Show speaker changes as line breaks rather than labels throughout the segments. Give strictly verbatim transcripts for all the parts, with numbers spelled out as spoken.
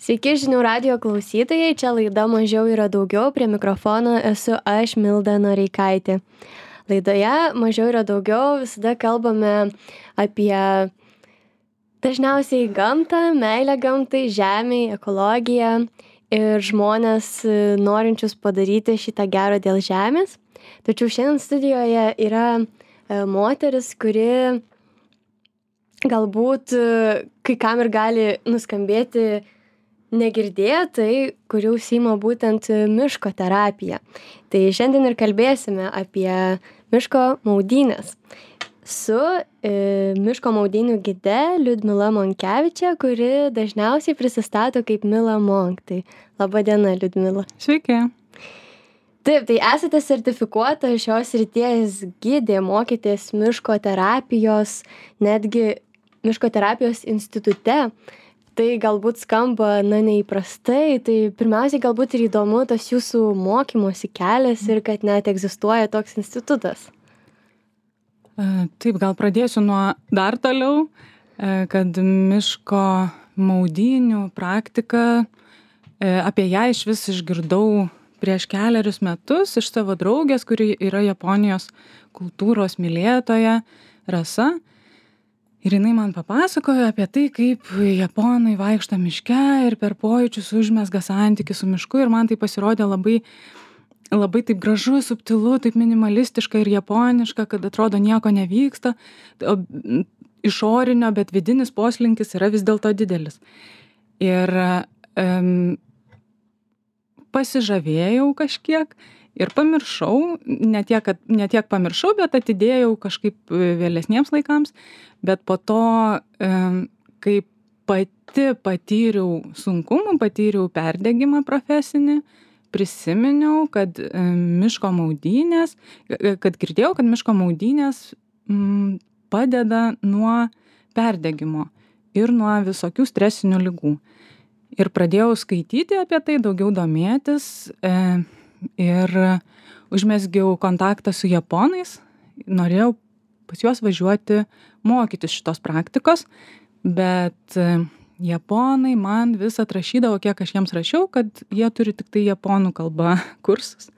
Sveiki žinių radijo klausytojai, čia laida Mažiau yra daugiau, prie mikrofono esu aš Milda Noreikaitė. Laidoje Mažiau yra daugiau visada kalbame apie dažniausiai gamtą, meilę gamtai, žemei, ekologiją ir žmonės norinčius padaryti šitą gerą dėl žemės. Tačiau šiandien studijoje yra moteris, kuri galbūt kai kam ir gali nuskambėti negirdėtai, kuri užsiima būtent miško terapija. Tai šiandien ir kalbėsime apie miško maudynes su e, miško maudynių gide Liudmila Monkevičė, kuri dažniausiai prisistato kaip Mila Monk. Tai laba diena, Liudmila.
Sveiki.
Taip, tai esate sertifikuota šios srities gidė, mokėtės miško terapijos, netgi miško terapijos institute. Tai galbūt skamba, na, neįprastai, tai pirmiausiai galbūt ir įdomu tas jūsų mokymosi kelias ir kad net egzistuoja toks institutas.
Taip, gal pradėsiu nuo dar toliau, kad miško maudynių praktika, apie ją iš vis išgirdau prieš keliarius metus iš savo draugės, kuri yra Japonijos kultūros mylėtoja, Rasa. Ir jinai man papasakojo apie tai, kaip japonai vaikšto miške ir per pojūčius užmezga santykį su mišku. Ir man tai pasirodė labai, labai taip gražu, subtilu, taip minimalistiška ir japoniška, kad atrodo nieko nevyksta. O išorinio, bet vidinis poslinkis yra vis dėlto didelis. Ir um, pasižavėjau kažkiek ir pamiršau, ne tiek, kad, ne tiek pamiršau, bet atidėjau kažkaip vėlesniems laikams. Bet po to, kai pati patyriau sunkumų, patyriau perdegimą profesinį, prisiminiau, kad miško maudynės, kad girdėjau, kad miško maudynės padeda nuo perdegimo ir nuo visokių stresinių ligų. Ir pradėjau skaityti apie tai, daugiau domėtis ir užmezgiau kontaktą su japonais, norėjau pas juos važiuoti mokytis šitos praktikos, bet japonai man vis atrašydavo, kiek aš jiems rašiau, kad jie turi tik tai japonų kalba kursus.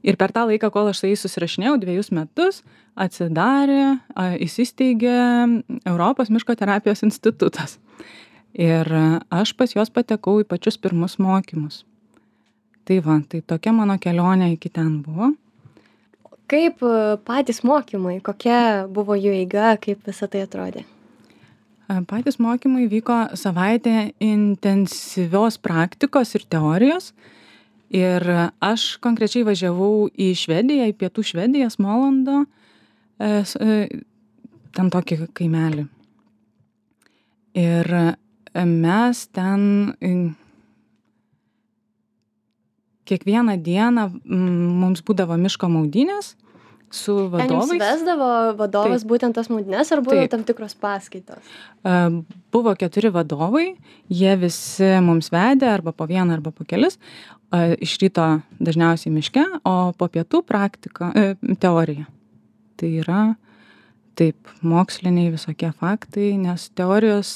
Ir per tą laiką, kol aš su jais susirašinėjau, dviejus metus, atsidarė, įsisteigė Europos miško terapijos institutas. Ir aš pas juos patekau į pačius pirmus mokymus. Tai va, tai tokia mano kelionė iki ten buvo.
Kaip patys mokymai, kokia buvo jų eiga, kaip visą tai atrodė?
Patys mokymai vyko savaitę intensyvios praktikos ir teorijos. Ir aš konkrečiai važiavau į Švediją, į pietų Švediją, Smolando, ten tokį kaimelį. Ir mes ten kiekvieną dieną mums būdavo miško maudynės su vadovais.
Ten jums vesdavo vadovas
Taip.
būtent tas maudynės ar buvo
Taip.
tam tikros paskaitos?
Buvo keturi vadovai, jie visi mums vedė arba po vieną, arba po kelis. Iš ryto dažniausiai miške, o po pietų praktika, teorija. Tai yra taip, moksliniai visokie faktai, nes teorijos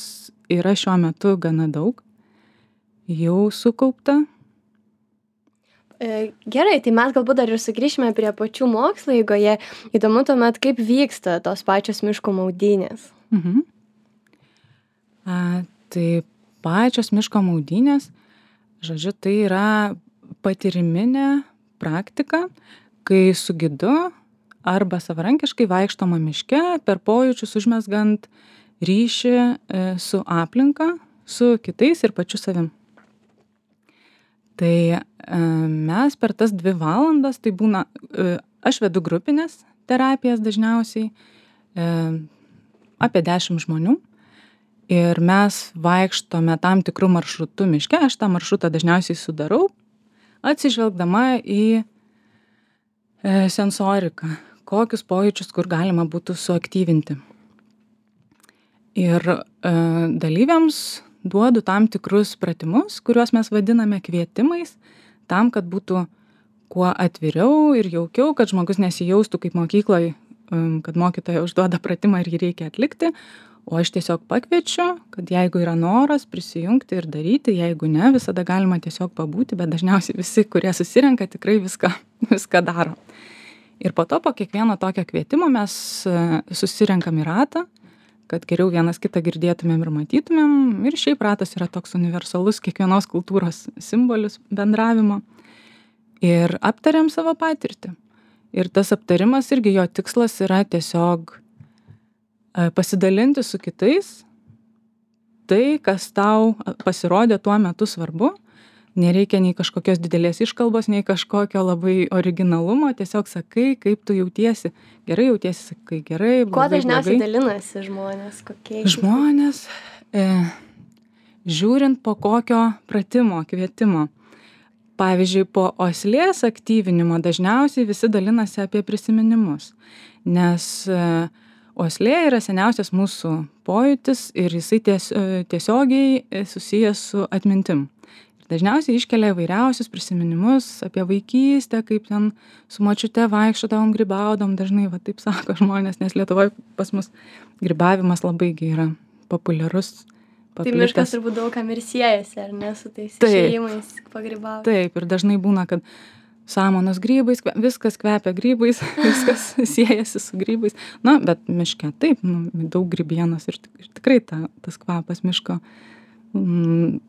yra šiuo metu gana daug, jau sukaupta.
Gerai, tai mes galbūt dar ir sugrįšime prie pačių mokslo eigoje. Įdomu tuomet, kaip vyksta tos pačios miško maudynės.
Mhm. A, tai pačios miško maudynės, žodžiu, tai yra patyriminė praktika, kai su gidu arba savarankiškai vaikštoma miške, per pojūčius užmezgant ryšį su aplinka, su kitais ir pačiu savim. Tai mes per tas dvi valandas, tai būna, aš vedu grupinės terapijas dažniausiai, apie dešimt žmonių. Ir mes vaikštome tam tikrų maršrutų miške, aš tą maršrutą dažniausiai sudarau, atsižvelgdama į sensoriką, kokius pojūčius, kur galima būtų suaktyvinti. Ir dalyviams duodu tam tikrus pratimus, kuriuos mes vadiname kvietimais, tam, kad būtų kuo atviriau ir jaukiau, kad žmogus nesijaustų kaip mokykloje, kad mokytoja užduoda pratimą ir jį reikia atlikti, O aš tiesiog pakviečiu, kad jeigu yra noras prisijungti ir daryti, jeigu ne, visada galima tiesiog pabūti, bet dažniausiai visi, kurie susirenka, tikrai viską, viską daro. Ir po to, po kiekvieno tokio kvietimo mes susirenkam į ratą, kad geriau vienas kitą girdėtumėm ir matytumėm. Ir šiaip ratas yra toks universalus kiekvienos kultūros simbolis bendravimo. Ir aptariam savo patirtį. Ir tas aptarimas irgi jo tikslas yra tiesiog pasidalinti su kitais tai, kas tau pasirodė tuo metu svarbu. Nereikia nei kažkokios didelės iškalbos, nei kažkokio labai originalumo. Tiesiog sakai, kaip tu jautiesi. Gerai jautiesi, sakai gerai, blogai,
Kuo dažniausiai
blogai.
dalinasi žmonės? Kokiais?
Žmonės, e, žiūrint po kokio pratimo, kvietimo. Pavyzdžiui, po oslės aktyvinimo dažniausiai visi dalinasi apie prisiminimus. Nes e, oslė yra seniausias mūsų pojūtis ir jisai ties, tiesiogiai susijęs su atmintim. Ir dažniausiai iškelia įvairiausius prisiminimus apie vaikystę, kaip ten su močiute vaikščiodavom, grybaudom, dažnai va taip sako žmonės, nes Lietuvoje pas mus grybavimas labai yra populiarus.
Tai miškas turbūt daug kam ir siejasi, ar ne, su tais
Taip.
išėjimais pagrybauti.
Taip, ir dažnai būna, kad samanos grybais, kve- viskas kvepia grybais, viskas siejasi su grybais. Na, bet miške taip, nu, daug grybienos ir, tik- ir tikrai ta, tas kvapas miško. Mm,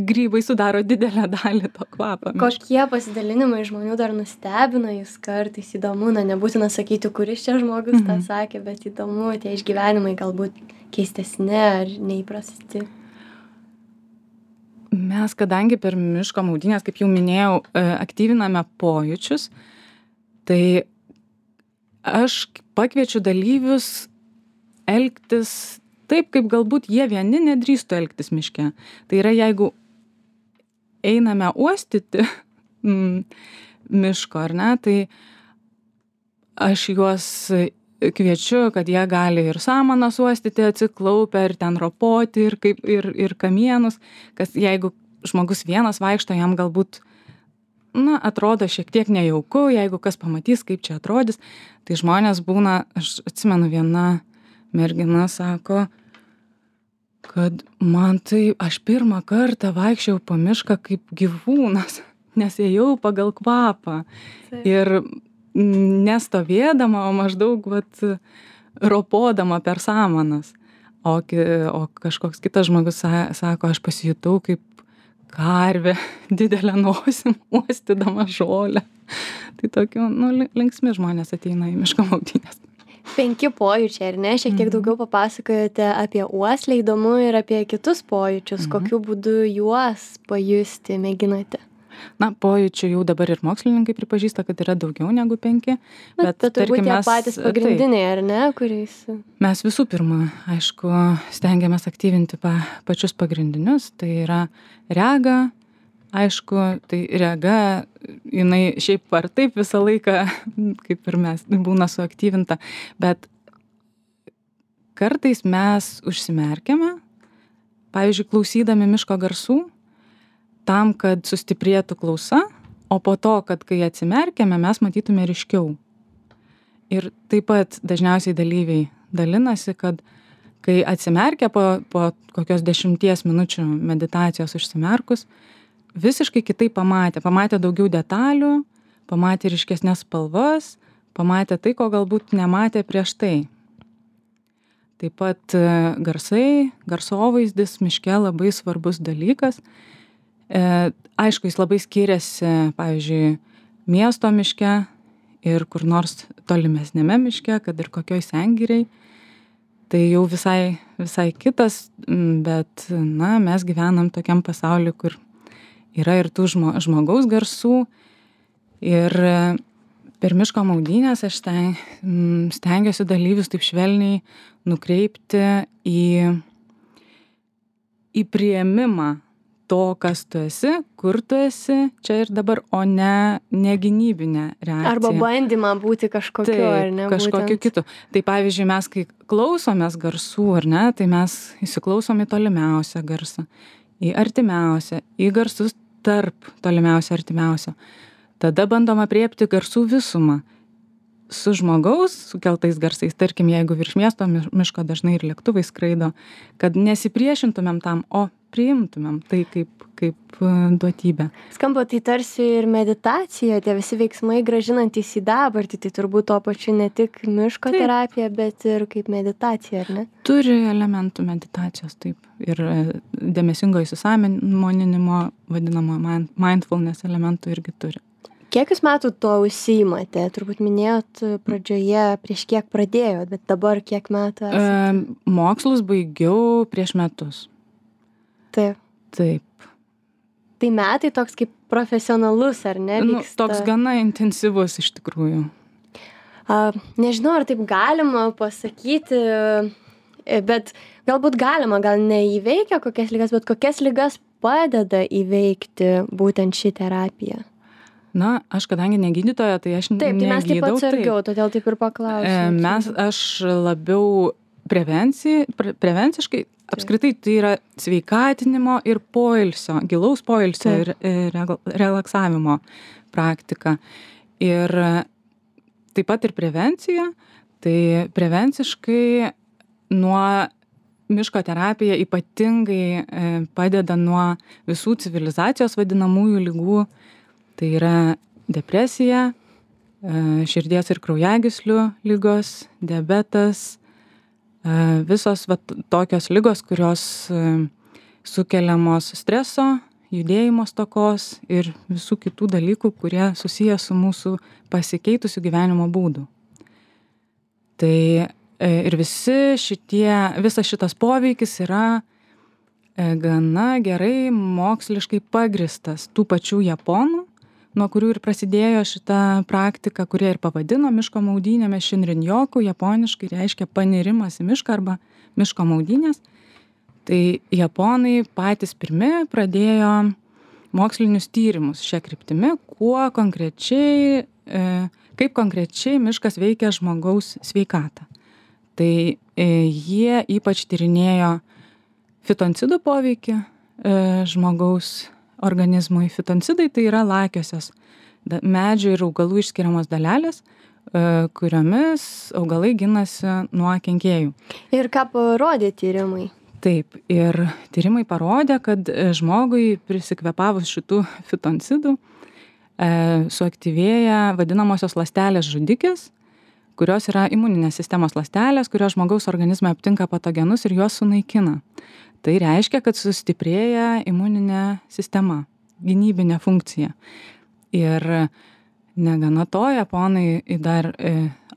grybai sudaro didelę dalį to kvapo. miško.
Kokie pasidalinimai žmonių dar nustebina jūs kartais? Įdomu, na, nebūtina sakyti, kuris čia žmogus tą sakė, bet įdomu, tie išgyvenimai galbūt keistesni ar neįprasti.
Mes, kadangi per miško maudynės, kaip jau minėjau, e, aktyviname pojūčius, tai aš pakviečiu dalyvius elgtis taip, kaip galbūt jie vieni nedrįstų elgtis miške. Tai yra, jeigu einame uostyti mm, miško, ar ne, tai aš juos kviečiu, kad jie gali ir samanas uostyti atsiklaupę, ir ten ropoti, ir, kaip, ir, ir kamienus, kas jeigu žmogus vienas vaikšto, jam galbūt, na, atrodo šiek tiek nejauku, jeigu kas pamatys, kaip čia atrodys, tai žmonės būna, aš atsimenu, viena mergina sako, kad man tai, aš pirmą kartą vaikščiau po mišką kaip gyvūnas, nes ėjau pagal kvapą.
Taip.
Ir nestovėdama, o maždaug vat, ropodama per samanas. O, ki- o kažkoks kitas žmogus sa- sako, aš pasijutau kaip karvė, didelę nosim, uostydama žolę. Tai tokių, nu, li- linksmi žmonės ateina į miško maudynės.
Penki pojūčiai, ar ne? Šiek tiek daugiau papasakojote apie uoslę, įdomu ir apie kitus pojūčius. Kokiu būdu juos pajusti mėginate?
Na, pojūčių jau dabar ir mokslininkai pripažįsta, kad yra daugiau negu penki.
Bet, bet turbūt
tarkim,
tie
mes-
patys
taip,
pagrindiniai, ar ne, kuriais...
Mes visų pirma, aišku, stengiamės aktyvinti pa, pačius pagrindinius. Tai yra rega, aišku, tai rega, jinai šiaip ar taip visą laiką, kaip ir mes, būna suaktyvinta. Bet kartais mes užsimerkiame, pavyzdžiui, klausydami miško garsų, tam, kad sustiprėtų klausa, o po to, kad kai atsimerkiame, mes matytume ryškiau. Ir taip pat dažniausiai dalyviai dalinasi, kad kai atsimerkia po, po kokios dešimties minučių meditacijos užsimerkus, visiškai kitaip pamatė. Pamatė daugiau detalių, pamatė ryškesnės spalvas, pamatė tai, ko galbūt nematė prieš tai. Taip pat e, garsai, garsovaizdis miške labai svarbus dalykas. E, aišku, jis labai skiriasi, pavyzdžiui, miesto miške ir kur nors tolimesnėme miške, kad ir kokioj sengiriai. Tai jau visai, visai kitas, bet, na, mes gyvenam tokiam pasauliu, kur yra ir tų žmo, žmogaus garsų. Ir e, per miško maudynės aš sten, stengiuosi dalyvius taip švelniai nukreipti į, į priėmimą to, kas tu esi, kur tu esi, čia ir dabar, o ne, ne gynybinė reakcija.
Arba bandymą būti kažkokiu,
Taip,
ar ne?
kažkokiu
būtent.
kitu. Tai pavyzdžiui, mes kai klausomės garsų, ar ne, tai mes įsiklausom į tolimiausią garsą, į artimiausią, į garsus tarp tolimiausio artimiausio. Tada bandom apriepti garsų visumą. su žmogaus sukeltais garsais, tarkim, jeigu virš miesto miško dažnai ir lėktuvai skraido, kad nesipriešintumėm tam, o priimtumėm tai kaip, kaip duotybę.
Skamba tai tarsi ir meditacija, tie visi veiksmai grąžinantys į dabartį, tai turbūt to pačiu ne tik miško taip. Terapija, bet ir kaip meditacija, ar ne?
Turi elementų meditacijos, taip. Ir dėmesingo įsisąmoninimo, vadinamo mindfulness elementų irgi turi.
Kiek jūs metų to užsiimate? Turbūt minėjot pradžioje, prieš kiek pradėjot, bet dabar kiek metų esate?
E, mokslus baigiau prieš metus.
Taip.
Taip.
Tai metai toks kaip profesionalus, ar ne?
Nu, toks gana intensyvus iš tikrųjų.
A, nežinau, ar taip galima pasakyti, bet galbūt galima, gal neįveikia kokias ligas, bet kokias ligas padeda įveikti būtent ši terapija?
Na, aš kadangi negydytoja, tai aš
taip, tai mes taip
negydau.
atsargiau,
taip.
Todėl taip ir paklausiu.
Mes, aš labiau prevencijai, pre, prevenciškai, apskritai tai yra sveikatinimo ir poilsio, gilaus poilsio taip. ir re, relaksavimo praktika. Ir taip pat ir prevencija, tai prevenciškai nuo miško terapija ypatingai padeda nuo visų civilizacijos vadinamųjų ligų. Tai yra depresija, širdies ir kraujagyslių ligos, diabetas, visos va, tokios ligos, kurios sukeliamos streso, judėjimo stokos ir visų kitų dalykų, kurie susiję su mūsų pasikeitusiu gyvenimo būdu. Tai ir visi šitie, visas šitas poveikis yra gana gerai moksliškai pagristas tų pačių japonų, nuo kurių ir prasidėjo šita praktika, kurie ir pavadino miško maudynėmis Shinrin-yoku, japoniškai reiškia panirimas į mišką arba miško maudynės. Tai japonai patys pirmi pradėjo mokslinius tyrimus šią kryptimį, kuo konkrečiai, kaip konkrečiai miškas veikia žmogaus sveikatą. Tai jie ypač tyrinėjo fitoncidų poveikį žmogaus organizmui. Fitoncidai tai yra lakiosios medžių ir augalų išskiriamos dalelės, kuriomis augalai ginasi nuo kenkėjų.
Ir ką parodė tyrimai?
Taip, ir tyrimai parodė, kad žmogui prisikvėpavus šitų fitoncidų suaktyvėja vadinamosios ląstelės žudikės, kurios yra imuninės sistemos ląstelės, kurios žmogaus organizme aptinka patogenus ir juos sunaikina. Tai reiškia, kad sustiprėja imuninė sistema, gynybinė funkcija. Ir negana to, japonai dar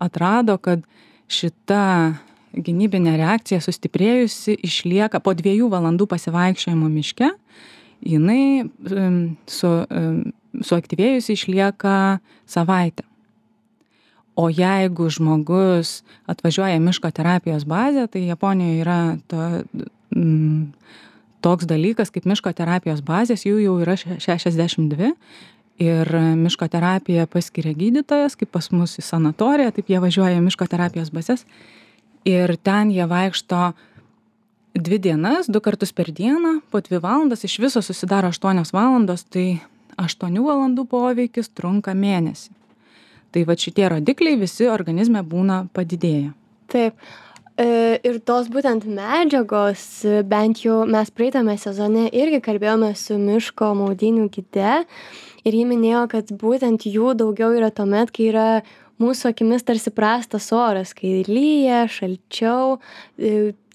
atrado, kad šita gynybinė reakcija sustiprėjusi išlieka po dviejų valandų pasivaikščiojimo miške, jinai su, suaktyvėjusi išlieka savaitę. O jeigu žmogus atvažiuoja miško terapijos bazę, tai Japonijoje yra to, m, toks dalykas kaip miško terapijos bazės, jų jau yra šešiasdešimt dvi ir miško terapiją paskiria gydytojas, kaip pas mus į sanatoriją, taip jie važiuoja į miško terapijos bazės ir ten jie vaikšto dvi dienas, du kartus per dieną, po dvi valandas, iš viso susidaro aštuonios valandos, tai aštuonių valandų poveikis trunka mėnesį. Tai va šitie rodikliai visi organizme būna padidėję.
Taip. Ir tos būtent medžiagos, bent jau mes praeitame sezone irgi kalbėjome su miško maudynių gide ir ji minėjo, kad būtent jų daugiau yra tuomet, kai yra mūsų akimis tarsi prastas oras, kai lyja, šalčiau.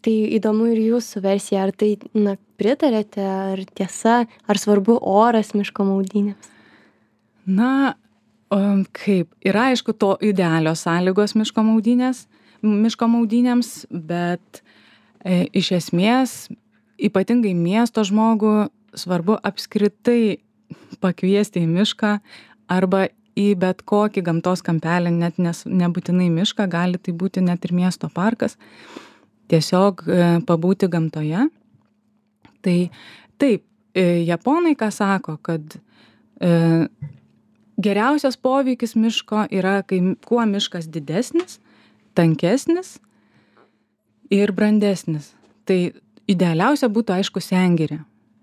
Tai įdomu ir jūsų versija, ar tai na, pritarėte, ar tiesa, ar svarbu oras miško maudynėms?
Na, kaip, yra aišku to idealios sąlygos miško maudynės, miško maudynėms, bet e, iš esmės ypatingai miesto žmogų svarbu apskritai pakviesti į mišką arba į bet kokį gamtos kampelį, net nes, nebūtinai mišką, gali tai būti net ir miesto parkas, tiesiog e, pabūti gamtoje. Tai taip, e, japonai ką sako, kad e, geriausias poveikis miško yra, kai kuo miškas didesnis, tankesnis ir brandesnis. Tai idealiausia būtų, aišku, sengirė,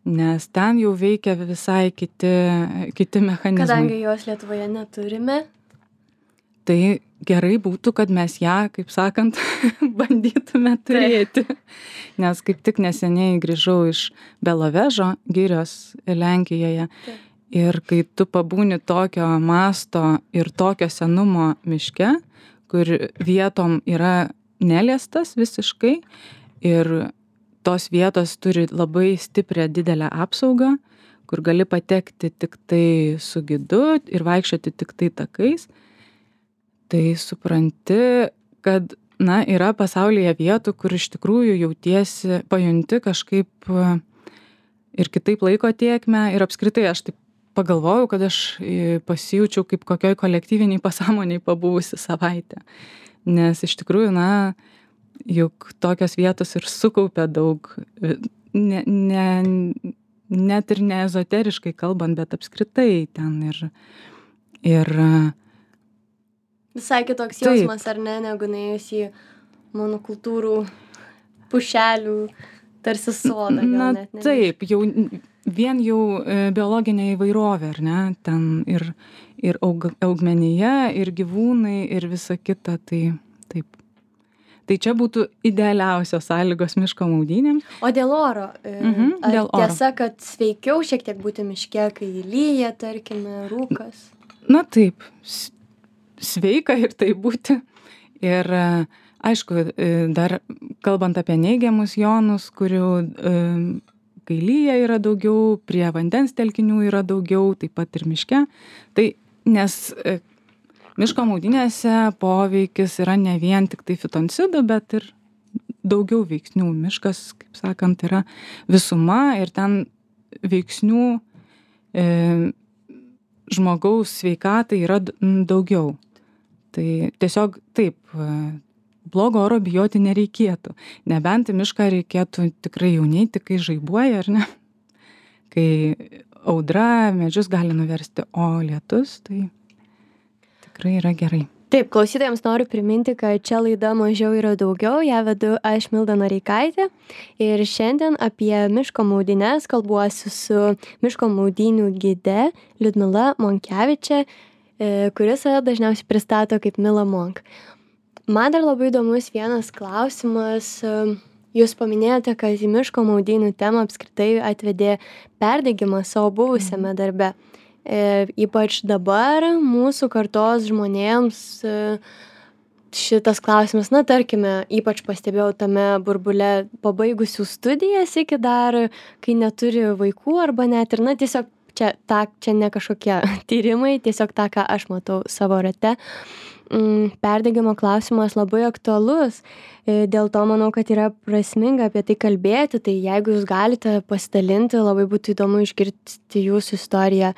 nes ten jau veikia visai kiti, kiti mechanizmai.
Kadangi jos Lietuvoje neturime.
tai gerai būtų, kad mes ją, kaip sakant, bandytume turėti. Nes kaip tik neseniai grįžau iš Belovežo girios Lenkijoje.
Taip.
Ir kai tu pabūni tokio masto ir tokio senumo miške, kur vietom yra neliestas visiškai ir tos vietos turi labai stiprią didelę apsaugą, kur gali patekti tik tai su gidu ir vaikščioti tik tai takais, tai supranti, kad, na, yra pasaulyje vietų, kur iš tikrųjų jautiesi, pajunti kažkaip ir kitaip laiko tėkmę ir apskritai aš taip pagalvojau, kad aš pasijaučiau kaip kokioj kolektyviniai pasąmoniai pabuvusi savaitę. Nes iš tikrųjų, na, juk tokios vietos ir sukaupia daug, ne, ne, net ir ne ezoteriškai kalbant, bet apskritai ten ir... ir
Visai kitoks jausmas, ar ne, negu nuėjus į monokultūrų pušelių tarsi sodą.
Na,
net, ne,
taip, jau vien jau biologinė įvairovė, ar ne, ten ir, ir aug, augmenija, ir gyvūnai, ir visa kita, tai taip. Tai čia būtų idealiausios sąlygos miško maudynėms.
O dėl oro?
Mhm,
ar
dėl oro.
Tiesa, kad sveikiau šiek tiek būti miške, kai lyja, tarkime, rūkas?
Na taip, sveika ir tai būti. Ir aišku, dar kalbant apie neigiamus jonus, kurių kai lyja yra daugiau, prie vandens telkinių yra daugiau, taip pat ir miške. Tai nes miško maudynėse poveikis yra ne vien tik tai fitoncidų, bet ir daugiau veiksnių. Miškas, kaip sakant, yra visuma ir ten veiksnių e, žmogaus sveikatai yra daugiau. Tai tiesiog taip, blogo oro bijoti nereikėtų. Nebent į mišką reikėtų tikrai jau neiti, kai žaibuoja, ar ne? Kai audra medžius gali nuversti, o lietus, tai tikrai yra gerai.
Taip, klausytojams noriu priminti, kad čia laida Mažiau yra daugiau, ją vedu aš Milda Noreikaitė ir šiandien apie miško maudynes kalbuosi su miško maudynių gide Liudmila Monkevičė, kuris save dažniausiai pristato kaip Mila Monk. Man dar labai įdomus vienas klausimas. Jūs paminėjote, kad į miško maudynių temą apskritai atvedė perdegimas savo buvusiame darbe. E, ypač dabar mūsų kartos žmonėms e, šitas klausimas, na tarkime, ypač pastebėjau tame burbule pabaigusių studijas iki dar, kai neturi vaikų arba net ir, na tiesiog čia, ta, čia ne kažkokie tyrimai, tiesiog tą, ką aš matau savo rate. Perdegimo klausimas labai aktualus, dėl to manau, kad yra prasminga apie tai kalbėti, tai jeigu jūs galite pasidalinti, labai būtų įdomu išgirsti jūsų istoriją,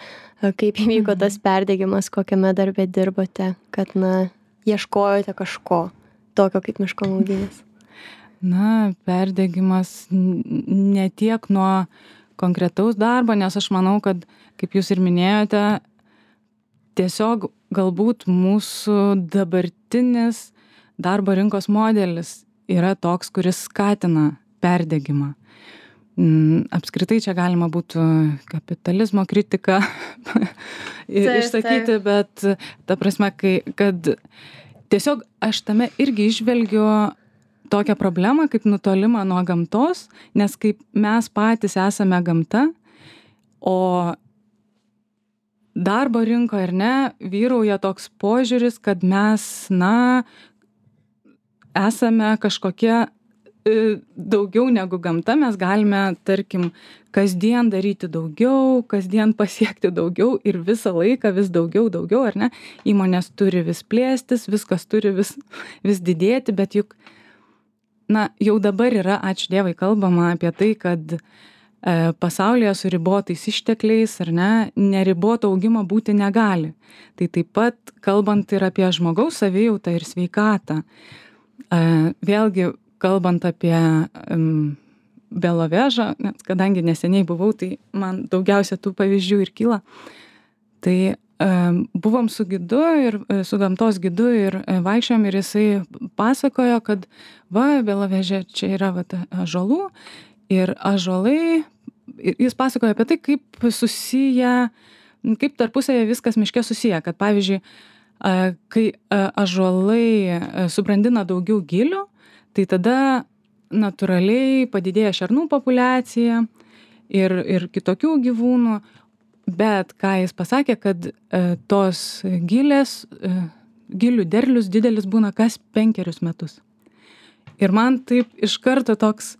kaip įvyko tas perdegimas, kokiame darbe dirbote, kad, na, ieškojote kažko tokio kaip miško maudynės.
Na, perdegimas ne tiek nuo konkretaus darbo, nes aš manau, kad, kaip jūs ir minėjote, tiesiog galbūt mūsų dabartinis darbo rinkos modelis yra toks, kuris skatina perdegimą. Apskritai čia galima būtų kapitalizmo kritiką išsakyti, bet ta prasme, kai, kad tiesiog aš tame irgi išvelgiu tokią problemą kaip nutolimą nuo gamtos, nes kaip mes patys esame gamta, o darbo rinkoje, ar ne, vyrauja toks požiūris, kad mes, na, esame kažkokie daugiau negu gamta, mes galime, tarkim, kasdien daryti daugiau, kasdien pasiekti daugiau ir visą laiką vis daugiau, daugiau, ar ne? Įmonės turi vis plėstis, viskas turi vis, vis didėti, bet juk, na, jau dabar yra, ačiū Dievui, kalbama apie tai, kad e, pasaulyje su ribotais ištekliais, ar ne, neriboto augimo būti negali. Tai taip pat kalbant ir apie žmogaus savijautą ir sveikatą. E, vėlgi, kalbant apie um, Belovežą, nes kadangi neseniai buvau, tai man daugiausia tų pavyzdžių ir kyla. Tai um, buvom su gidu ir su gamtos gidu ir vaikščiojom ir jisai pasakojo, kad va, Beloveže čia yra va, ąžuolų ir ąžuolai, jis pasakojo apie tai, kaip susiję, kaip tarpusavėje viskas miške susiję, kad pavyzdžiui, kai ąžuolai subrandina daugiau gilių, tai tada natūraliai padidėja šernų populiacija ir, ir kitokių gyvūnų, bet ką jis pasakė, kad tos gilės, gilių derlius didelis būna kas penkerius metus. Ir man taip iš karto toks,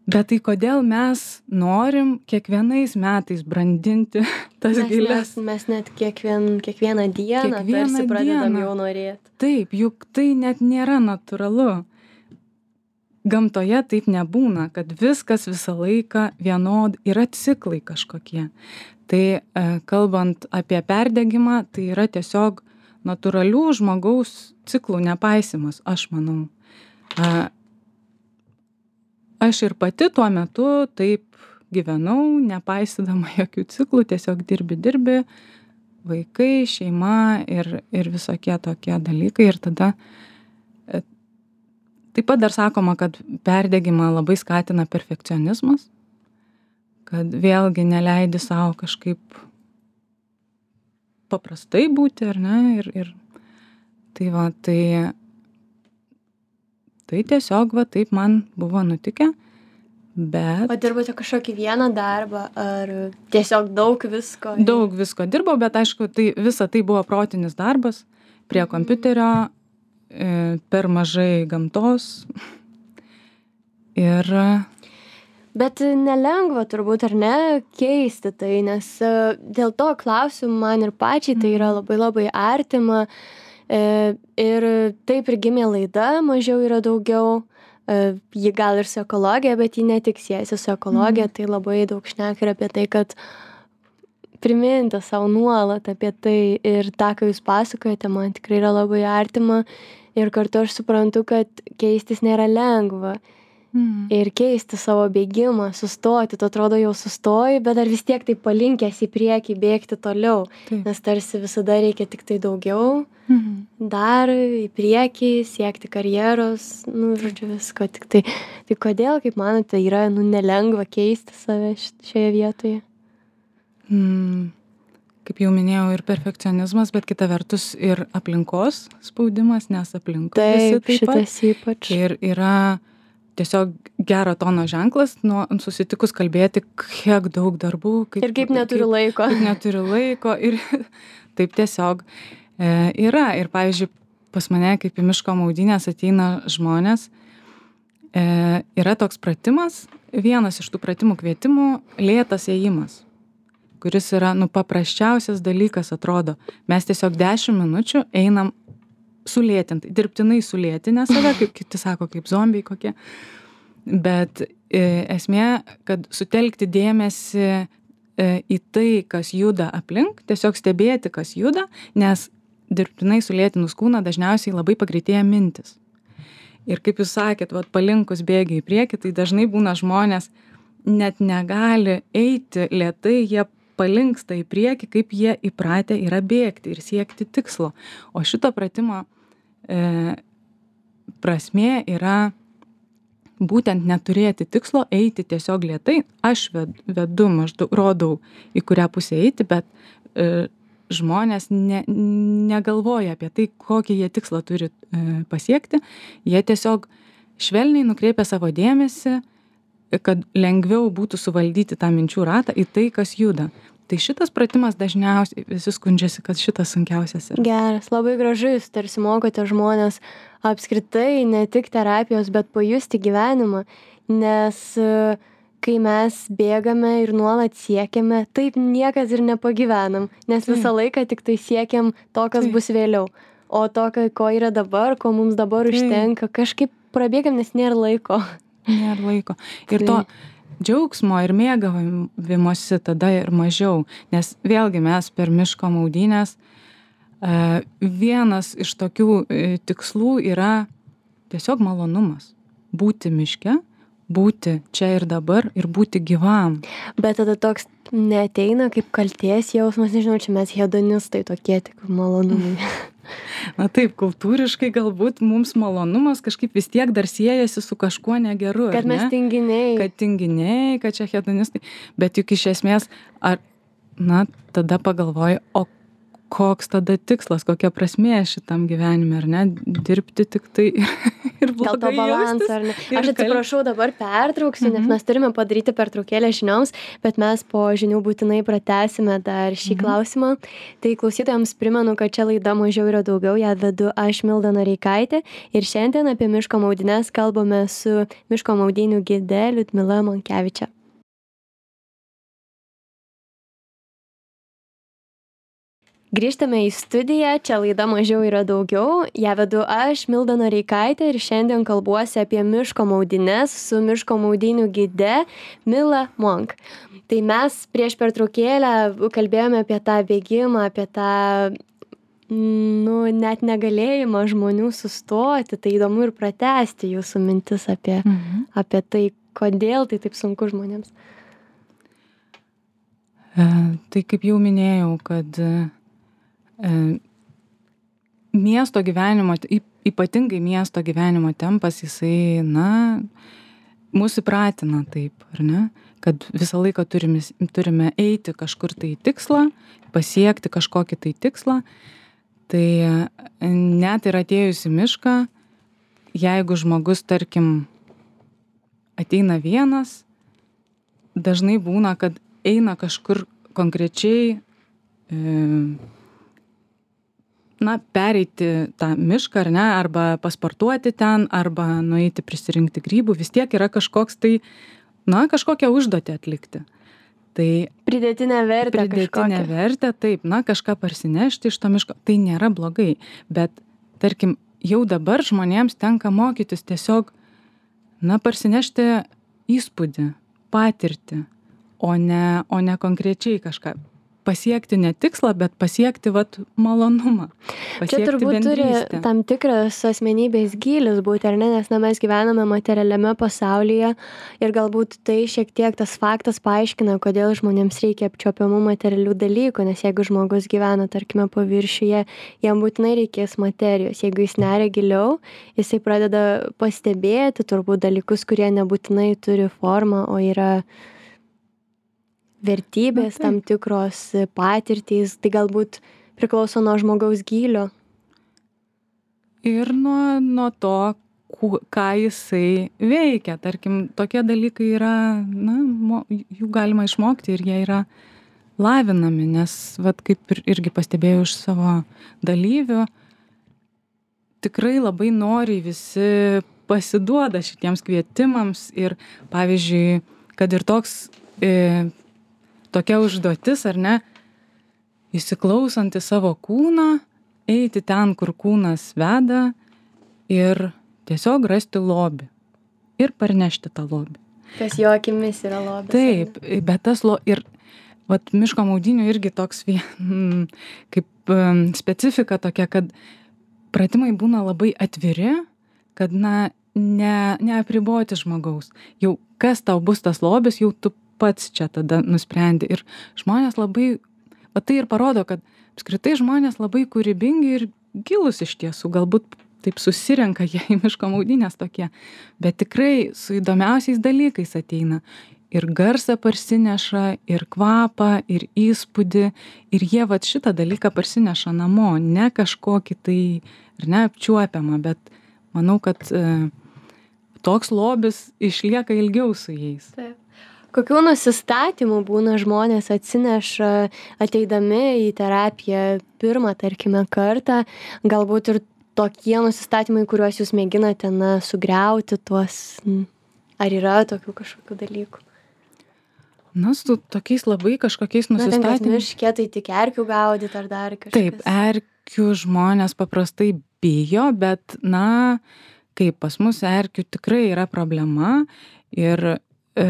bet tai kodėl mes norim kiekvienais metais brandinti tas
mes,
gilės?
Mes, mes net kiekvien, kiekvieną dieną
Kiekvieną
tarsi pradedam
dieną.
jau norėti.
Taip, juk tai net nėra natūralu. Gamtoje taip nebūna, kad viskas visą laiką vienod, yra ciklai kažkokie. Tai e, kalbant apie perdegimą, tai yra tiesiog natūralių žmogaus ciklų nepaisimas, aš manau. E, aš ir pati tuo metu taip gyvenau, nepaisydama jokių ciklų, tiesiog dirbi, dirbi, vaikai, šeima ir, ir visokie tokie dalykai. Ir tada e, taip pat dar sakoma, kad perdegimą labai skatina perfekcionizmas, kad vėlgi neleidi savo kažkaip paprastai būti, ar ne? Ir, ir tai va, tai, tai tiesiog va taip man buvo nutikę, bet...
O dirbote kažkokį vieną darbą, ar tiesiog daug visko?
Daug visko dirbau, bet aišku, tai visa tai buvo protinis darbas prie kompiuterio, per mažai gamtos ir...
Bet nelengva turbūt, ar ne, keisti tai, nes dėl to klausiu man ir pačiai, tai yra labai labai artima ir taip ir gimė laida, mažiau yra daugiau, ji gal ir su ekologija, bet ji ne tik siejasi su ekologija, mm. tai labai daug šneka ir apie tai, kad priminti savo nuolat apie tai ir tą, ką jūs pasakojate, man tikrai yra labai artima ir kartu aš suprantu, kad keistis nėra lengva. Mm. Ir keisti savo bėgimą, sustoti, tu atrodo jau sustoji, bet dar vis tiek tai palinkęs į priekį bėgti toliau, taip. Nes tarsi visada reikia tik tai daugiau, mm. dar į priekį, siekti karjeros, nu, žodžiu, visko, tik tai, tai kodėl, kaip manote, yra, nu, nelengva keisti save šioje vietoje?
Mm. Kaip jau minėjau, ir perfekcionizmas, bet kita vertus ir aplinkos spaudimas, nes aplinkos
taip,
visi taip pat.
Šitas ypač.
Ir yra tiesiog gero tono ženklas, nuo susitikus kalbėti, kiek daug darbų. Kaip,
ir kaip neturiu
kaip,
laiko.
Kaip neturiu laiko ir taip tiesiog e, yra. Ir pavyzdžiui, pas mane, kaip į miško maudynės ateina žmonės, e, yra toks pratimas, vienas iš tų pratimų kvietimų, lėtas ėjimas, kuris yra, nu, paprasčiausias dalykas atrodo. Mes tiesiog dešimt minučių einam sulėtinti, dirbtinai sulėtinę save, kaip kiti sako, kaip zombiai kokie. Bet e, esmė, kad sutelkti dėmesį e, į tai, kas juda aplink, tiesiog stebėti, kas juda, nes dirbtinai sulėtinus kūną dažniausiai labai pagreitėja mintis. Ir kaip jūs sakėt, vat, palinkus bėgi į priekį, tai dažnai būna žmonės net negali eiti lėtai, jie palinksta į priekį, kaip jie įpratę yra bėgti ir siekti tikslo. O šito pratimo e, prasmė yra būtent neturėti tikslo, eiti tiesiog lėtai. Aš vedu, maždaug rodau, į kurią pusę eiti, bet e, žmonės ne, negalvoja apie tai, kokį jie tikslą turi e, pasiekti. Jie tiesiog švelniai nukreipia savo dėmesį, kad lengviau būtų suvaldyti tą minčių ratą į tai, kas juda. Tai šitas pratimas dažniausiai visi skundžiasi, kad šitas sunkiausias yra.
Geras, labai gražu, jūs tarsi mokote žmonės apskritai, ne tik terapijos, bet pajusti gyvenimą, nes kai mes bėgame ir nuolat siekiame, taip niekas ir nepagyvenam, nes visą laiką tik tai siekiam to, kas taip. Bus vėliau. O to, ko yra dabar, ko mums dabar taip. Užtenka, kažkaip prabėgam, nes nėra laiko.
Nėra laiko. Ir to džiaugsmo ir mėgavimosi tada ir mažiau. Nes vėlgi mes per miško maudynės vienas iš tokių tikslų yra tiesiog malonumas. Būti miške, būti čia ir dabar ir būti gyvam.
Bet tada toks neateina kaip kaltės jausmas, nežinau, čia mes hedonistai tokie tik malonumai.
Na taip, kultūriškai galbūt mums malonumas kažkaip vis tiek dar siejasi su kažkuo negeru.
Kad mes tinginiai.
Kad tinginiai, kad čia hedonistai. Bet juk iš esmės, ar, na, tada pagalvoju, o koks tada tikslas, kokia prasmė šitam gyvenime, ar ne, dirbti tik tai ir blogai
Gal to balansą, ar ne? Aš atsiprašau, dabar pertrauksiu, mhm. nes mes turime padaryti pertraukėlę žinioms, bet mes po žinių būtinai pratęsime dar šį mhm. klausimą. Tai klausytojams primenu, kad čia laida Mažiau yra daugiau, ją vedu aš Milda Noreikaitė ir šiandien apie miško maudynes kalbame su miško maudynių gide Liudmila Monkevičia. Grįžtame į studiją, čia laida Mažiau yra daugiau, ją vedu aš, Milda Noreikaitė ir šiandien kalbuosi apie miško maudynes su miško maudynių gide Mila Monk. Tai mes prieš pertraukėlę kalbėjome apie tą bėgimą, apie tą, nu, net negalėjimą žmonių sustoti, tai įdomu ir pratęsti jūsų mintis apie, mhm. apie tai, kodėl tai taip sunku žmonėms.
E, tai kaip jau minėjau, kad miesto gyvenimo, ypatingai miesto gyvenimo tempas, jisai, na, mūsų įpratina taip, ar ne, kad visą laiką turime, turime eiti kažkur tai tikslą, pasiekti kažkokį tai tikslą, tai net ir atėjus į mišką, jeigu žmogus, tarkim, ateina vienas, dažnai būna, kad eina kažkur konkrečiai e, na, pereiti tą mišką, ar ne, arba pasportuoti ten, arba nueiti prisirinkti grybų, vis tiek yra kažkoks tai, na, kažkokią užduotį atlikti. Tai
pridėtinė vertė
pridėtinė
kažkokia.
vertė, taip, na, kažką parsinešti iš to miško, tai nėra blogai, bet, tarkim, jau dabar žmonėms tenka mokytis tiesiog, na, parsinešti įspūdį, patirtį, o ne, o ne konkrečiai kažką. Pasiekti ne tikslą, bet pasiekti vat malonumą. Pasiekti
Čia turbūt
bendrystę.
Turi tam tikras asmenybės gylis būti, ar ne, nes na, mes gyvename materialiame pasaulyje ir galbūt tai šiek tiek tas faktas paaiškina, kodėl žmonėms reikia apčiuopiamų materialių dalykų, nes jeigu žmogus gyvena, tarkime, paviršiuje, jam būtinai reikės materijos. Jeigu jis neria giliau, jisai pradeda pastebėti turbūt dalykus, kurie nebūtinai turi formą, o yra vertybės, tam tikros patirtys, tai galbūt priklauso nuo žmogaus gylio.
Ir nuo, nuo to, ką jisai veikia. Tarkim, tokie dalykai yra, na, jų galima išmokti ir jie yra lavinami, nes, vat, kaip ir, irgi pastebėjau iš savo dalyvių, tikrai labai noriai visi pasiduoda šitiems kvietimams ir, pavyzdžiui, kad ir toks e, tokia užduotis, ar ne, įsiklausant į savo kūną, eiti ten, kur kūnas veda ir tiesiog rasti lobį ir parnešti tą lobį.
Kas jo akimis yra lobis.
Taip, bet tas lo... Ir vat miško maudynių irgi toks vien, kaip um, specifika tokia, kad pratimai būna labai atviri, kad, na, ne, neapriboti žmogaus. Jau kas tau bus tas lobis, jau tu pats čia tada nusprendi. Ir žmonės labai, va tai ir parodo, kad apskritai žmonės labai kūrybingi ir gilus iš tiesų, galbūt taip susirenka jie į miško maudynės tokie, bet tikrai su įdomiausiais dalykais ateina. Ir garsą parsineša, ir kvapą, ir įspūdį, ir jie vat šitą dalyką parsineša namo, ne kažkokį tai, ir neapčiuopiamą, bet manau, kad e, toks lobis išlieka ilgiau su jais.
Taip. Kokių nusistatymų būna žmonės atsineša ateidami į terapiją pirmą, tarkime, kartą, galbūt ir tokie nusistatymai, kuriuos jūs mėginate, na, sugriauti tuos, ar yra tokių kažkokių dalykų?
Na, su tokiais labai kažkokiais nusistatymais.
Na, ten, miške, tai tik erkių gaudyti ar dar kažkas.
Taip, erkių žmonės paprastai bijo, bet, na, kaip pas mus erkių tikrai yra problema ir e,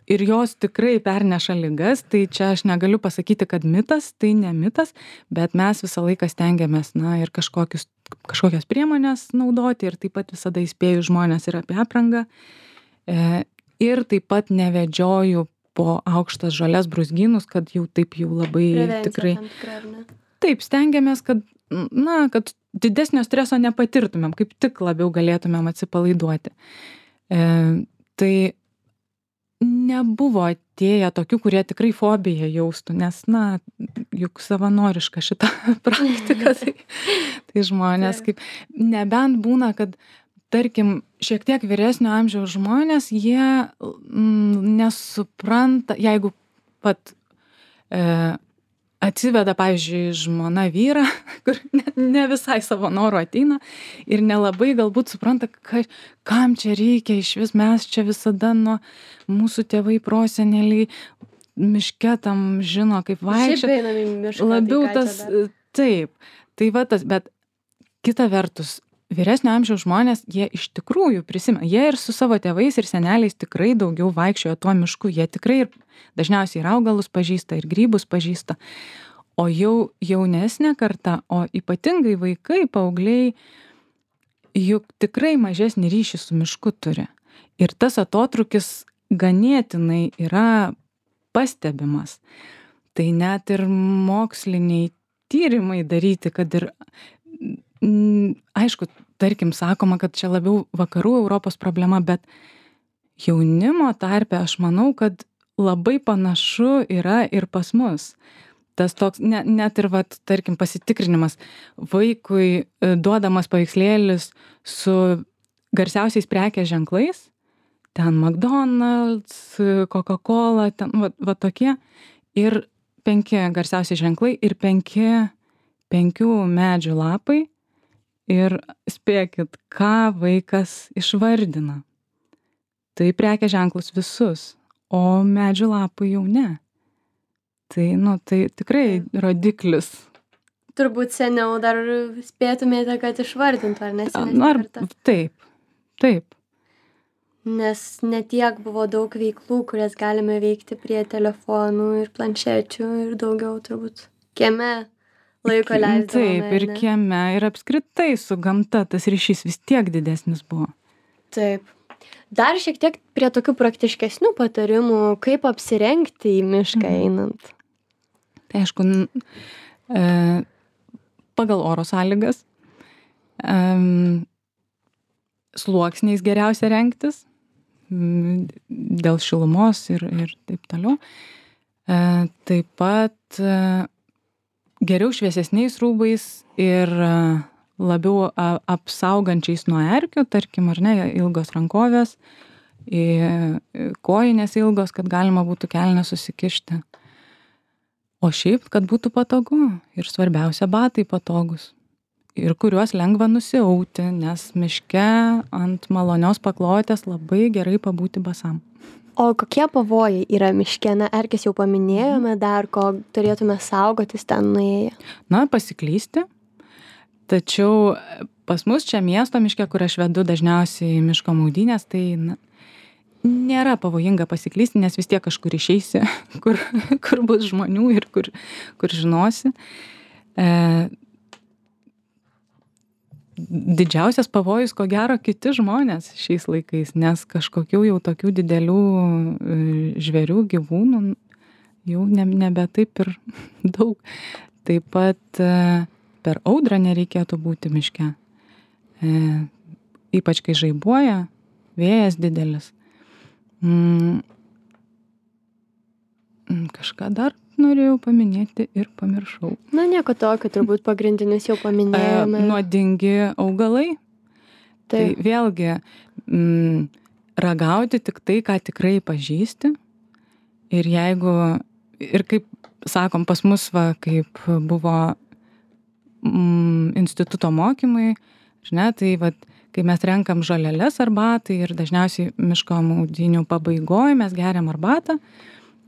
ir jos tikrai perneša ligas, tai čia aš negaliu pasakyti, kad mitas, tai ne mitas, bet mes visą laiką stengiamės, na, ir kažkokius, kažkokias priemonės naudoti ir taip pat visada įspėju žmonės ir apie aprangą. E, ir taip pat nevedžioju po aukštas žolės brūzgynus, kad jau taip jau labai
Prevencija
tikrai.
tam tikra, ar ne?
Taip, stengiamės, kad, na, kad didesnio streso nepatirtumėm, kaip tik labiau galėtumėm atsipalaiduoti. E, tai nebuvo atėję tokių, kurie tikrai fobiją jaustų, nes, na, juk savanoriška šita praktika, tai, tai žmonės kaip, nebent būna, kad, tarkim, šiek tiek vyresnio amžiaus žmonės, jie mm, nesupranta, jeigu pat e, atsiveda, pavyzdžiui, žmona vyrą, kur ne, ne visai savo norų ateina ir nelabai galbūt supranta, ka, kam čia reikia, iš vis mes čia visada nuo mūsų tėvai, proseneliai, miške tam žino, kaip vaikščioti. Labiau
tai
tas, taip, tai va tas, bet kita vertus, vyresnio amžiaus žmonės, jie iš tikrųjų prisimena, jie ir su savo tėvais ir seneliais tikrai daugiau vaikščiojo tuo mišku, jie tikrai ir dažniausiai ir augalus pažįsta, ir grybus pažįsta, o jau jaunesnė karta, o ypatingai vaikai, paaugliai, juk tikrai mažesnį ryšį su mišku turi. Ir tas atotrukis ganėtinai yra pastebimas. Tai net ir moksliniai tyrimai daryti, kad ir aišku, tarkim, sakoma, kad čia labiau vakarų Europos problema, bet jaunimo tarpe aš manau, kad labai panašu yra ir pas mus. Tas toks, ne, net ir, vat, tarkim, pasitikrinimas vaikui duodamas paveikslėlis su garsiausiais prekės ženklais, ten McDonald's, Coca-Cola, ten va, va tokie, ir penki garsiausi ženklai ir penki, penkių medžių lapai. Ir spėkit, ką vaikas išvardina. Tai prekės ženklus visus, o medžių lapų jau ne. Tai, nu, tai tikrai rodiklis.
Turbūt seniau dar spėtumėte, kad išvardintų, ar ne?
Ar, taip, taip.
Nes netiek buvo daug veiklų, kurias galime veikti prie telefonų ir planšečių ir daugiau turbūt kieme. Laiko leisdavome.
Taip, ir kieme, ir apskritai su gamta tas ryšys vis tiek didesnis buvo.
Taip. Dar šiek tiek prie tokių praktiškesnių patarimų, kaip apsirengti į mišką einant.
Tai aišku, e, pagal oro sąlygas, e, sluoksniais geriausia rengtis, dėl šilumos ir, ir taip toliau. E, taip pat e, geriau šviesesniais rūbais ir labiau apsaugančiais nuo erkių, tarkim, ar ne, ilgos rankovės, kojinės ilgos, kad galima būtų kelnes susikišti. O šiaip, kad būtų patogu ir svarbiausia, batai patogus. Ir kuriuos lengva nusiauti, nes miške ant malonios paklotės labai gerai pabūti basam.
O kokie pavojai yra miške? Na, erkės jau paminėjome, dar ko turėtume saugotis ten nuėję?
Na, pasiklysti. Tačiau pas mus čia miesto miške, kur aš vedu dažniausiai miško maudynės, tai na, nėra pavojinga pasiklysti, nes vis tiek kažkur išeisi, kur, kur bus žmonių ir kur, kur žinosi. E, didžiausias pavojus, ko gero, kiti žmonės šiais laikais, nes kažkokių jau tokių didelių žvėrių, gyvūnų jau ne, nebe taip ir daug. Taip pat per audrą nereikėtų būti miške. E, ypač kai žaibuoja, vėjas didelis. Mm, kažką dar norėjau paminėti ir pamiršau.
Na, nieko tokio, turbūt pagrindinius jau paminėjome.
E, nuodingi augalai. Tai, tai vėlgi mm, ragauti tik tai, ką tikrai pažįsti. Ir jeigu, ir kaip sakom, pas mus, va, kaip buvo mm, instituto mokymai, žinai, tai va, kai mes renkam žoleles arbatai ir dažniausiai miško maudynių pabaigoje mes geriam arbatą,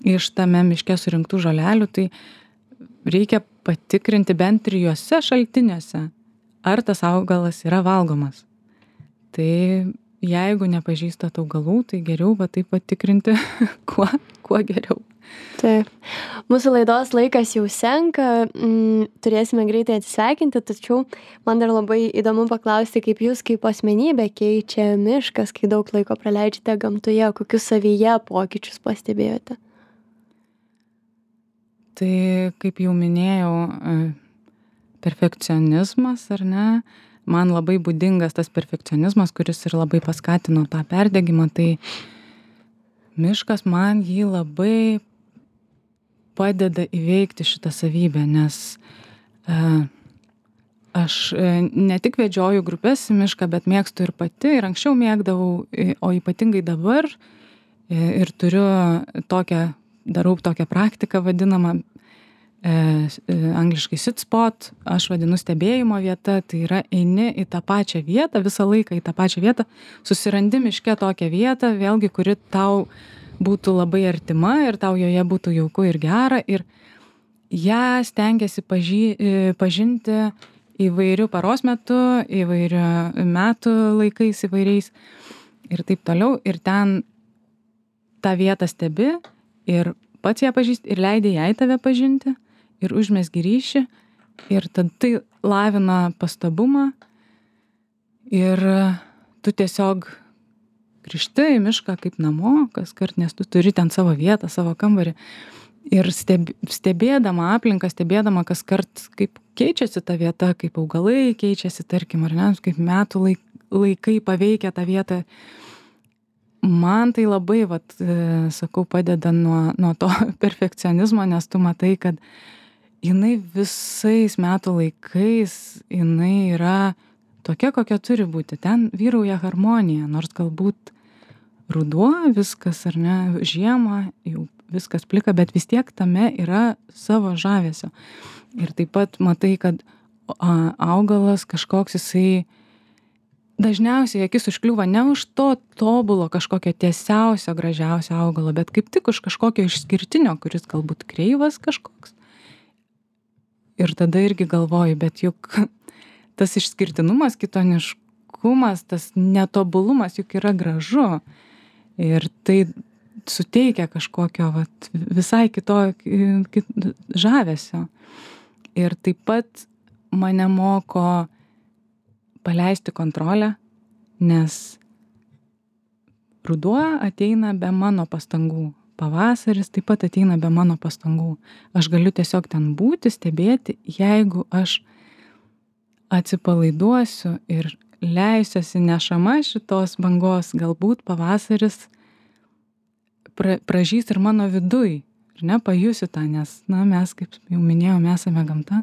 iš tame miške surinktų žolelių, tai reikia patikrinti bent trijuose šaltiniuose, ar tas augalas yra valgomas. Tai jeigu nepažįstat augalų, tai geriau va taip patikrinti, kuo, kuo geriau.
Taip. Mūsų laidos laikas jau senka, mm, turėsime greitai atsisveikinti, tačiau man dar labai įdomu paklausti, kaip jūs kaip asmenybė keičia miškas, kai daug laiko praleidžiate gamtoje, kokius savyje pokyčius pastebėjote?
Tai, kaip jau minėjau, perfekcionizmas, ar ne? Man labai būdingas tas perfekcionizmas, kuris ir labai paskatino tą perdegimą. Tai miškas man jį labai padeda įveikti šitą savybę, nes e, aš e, ne tik vedžioju grupės į mišką, bet mėgstu ir pati, ir anksčiau mėgdavau, e, o ypatingai dabar, e, ir turiu tokią, darau tokią praktiką vadinamą, e, e, angliškai sit spot, aš vadinu stebėjimo vieta, tai yra eini į tą pačią vietą, visą laiką į tą pačią vietą, susirandi miške tokią vietą, vėlgi, kuri tau būtų labai artima ir tau joje būtų jauku ir gera, ir ją stengiasi paži, pažinti įvairių paros metu, įvairių metų laikais įvairiais ir taip toliau. Ir ten tą vietą stebi ir pats ją pažįsti ir leidai jai tave pažinti ir užmesgi ryšį ir tada tai lavina pastabumą ir tu tiesiog grįžti į mišką kaip namo kaskart, nes tu turi ten savo vietą, savo kambarį. Ir steb, stebėdama aplinką, stebėdama kaskart, kaip keičiasi ta vieta, kaip augalai keičiasi, tarkim, ar ne, kaip metų laik, laikai paveikia tą vietą. Man tai labai, vat, sakau, padeda nuo, nuo to perfekcionizmo, nes tu matai, kad jinai visais metų laikais, jinai yra tokia, kokia turi būti. Ten vyrauja harmonija, nors galbūt ruduo viskas, ar ne, žiemą jau viskas plika, bet vis tiek tame yra savo žavesio. Ir taip pat matai, kad augalas kažkoks jisai dažniausiai akis užkliūva ne už to tobulo kažkokio tiesiausio, gražiausio augalo, bet kaip tik už kažkokio išskirtinio, kuris galbūt kreivas kažkoks. Ir tada irgi galvoju, bet juk tas išskirtinumas, kitoniškumas, tas netobulumas juk yra gražu. Ir tai suteikia kažkokio vat, visai kito kit, žavesio. Ir taip pat mane moko paleisti kontrolę, nes ruduo ateina be mano pastangų. Pavasaris taip pat ateina be mano pastangų. Aš galiu tiesiog ten būti, stebėti, jeigu aš atsipalaiduosiu ir leisiuosi nešama šitos bangos, galbūt pavasaris pra, pražys ir mano viduj, ir ne, pajusiu tą, nes, na, mes, kaip jau minėjau, mes esame gamta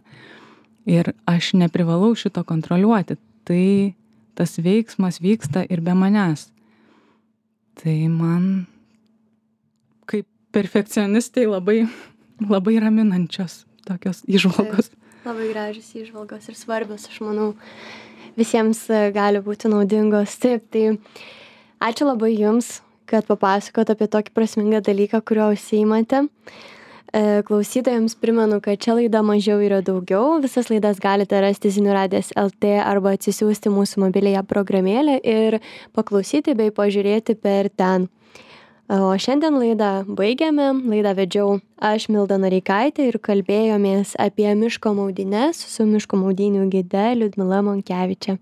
ir aš neprivalau šito kontroliuoti, tai tas veiksmas vyksta ir be manęs. Tai man, kaip perfekcionistai, labai, labai raminančios tokios įžvalgos.
Taip, labai gražios įžvalgos ir svarbios, aš manau, visiems gali būti naudingos. Taip, tai ačiū labai Jums, kad papasakot apie tokį prasmingą dalyką, kurio užsiimate. Klausytojams primenu, kad čia laida Mažiau yra daugiau. Visas laidas galite rasti Zinių radijas taškas el tė arba atsisiųsti mūsų mobiliąją programėlę ir paklausyti bei pažiūrėti per ten. O šiandien laidą baigiame. Laidą vedžiau aš, Milda Noreikaitė, ir kalbėjomės apie miško maudynes su miško maudynių gide Liudmila Monkevičė.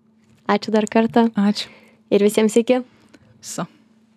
Ačiū dar kartą.
Ačiū.
Ir visiems iki.
So.